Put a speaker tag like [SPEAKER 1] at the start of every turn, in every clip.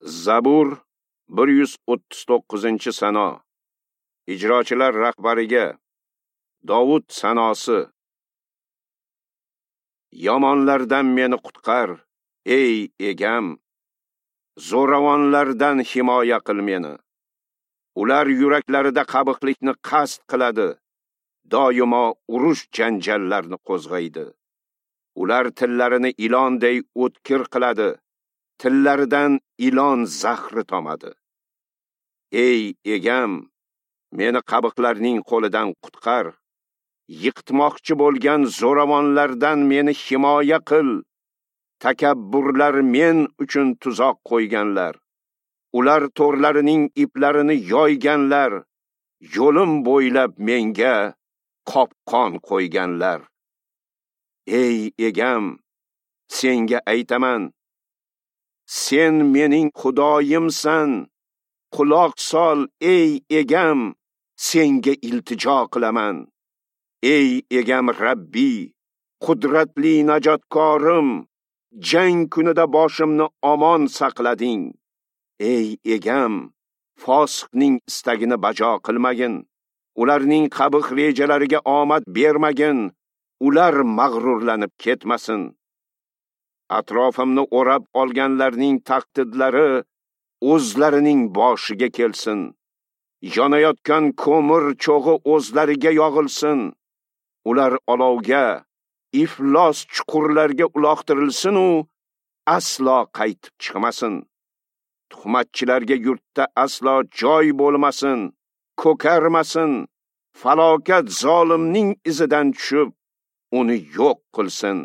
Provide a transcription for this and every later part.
[SPEAKER 1] Zabur 139-sano. Ijrochilar rahbariga Dovud sanosi. Yomonlardan meni qutqar, ey egam. Zo'ravonlardan himoya qil meni. Ular yuraklarida qabihlikni qasd qiladi, doimo urush janjallarni qo'zg'aydi. Ular tillarini ilonday o'tkir qiladi, tillaridan ilon zahri tomadi. Ey egam, meni qabihlarning qo'lidan qutqar. Yiqitmoqchi bo'lgan zo'ravonlardan meni himoya qil. Takabburlar men uchun tuzoq qo'yganlar. Ular to'rlarining iplarini yoyganlar, yo'lim bo'ylab menga qopqon qo'yganlar. Ey egam, senga aytaman, sen mening Xudoyimsan. Quloq sol, ey egam, senga iltijo qilaman. Ey egam Rabbi, qudratli najotkorim, jang kunida boshimni omon saqlading. Ey egam, fosiqning istagini bajo qilmagin, ularning qabih rejalariga omad bermagin, ular mag'rurlanib ketmasin. Atrofimni o'rab olganlarning taqdidlari o'zlarining boshiga kelsin. Yonayotgan ko'mir cho'g'i o'zlariga yog'ilsin. Ular olovga, iflos chuqurlarga uloqtirilsin u aslo qaytib chiqmasin. Tuhmatchilarga yurtda aslo joy bo'lmasin, ko'karmasin. Falokat zolimning izidan tushib, uni yo'q qilsin.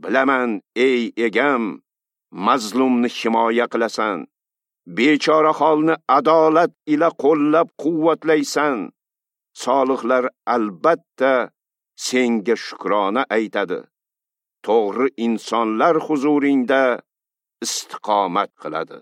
[SPEAKER 1] Bilaman, ey egam, mazlumni himoya qilasan. Bechora holni adolat ila qo'llab quvvatlaysan. Solihlar albatta senga shukrona aytadi. To'g'ri insonlar huzuringda istiqomat qiladi.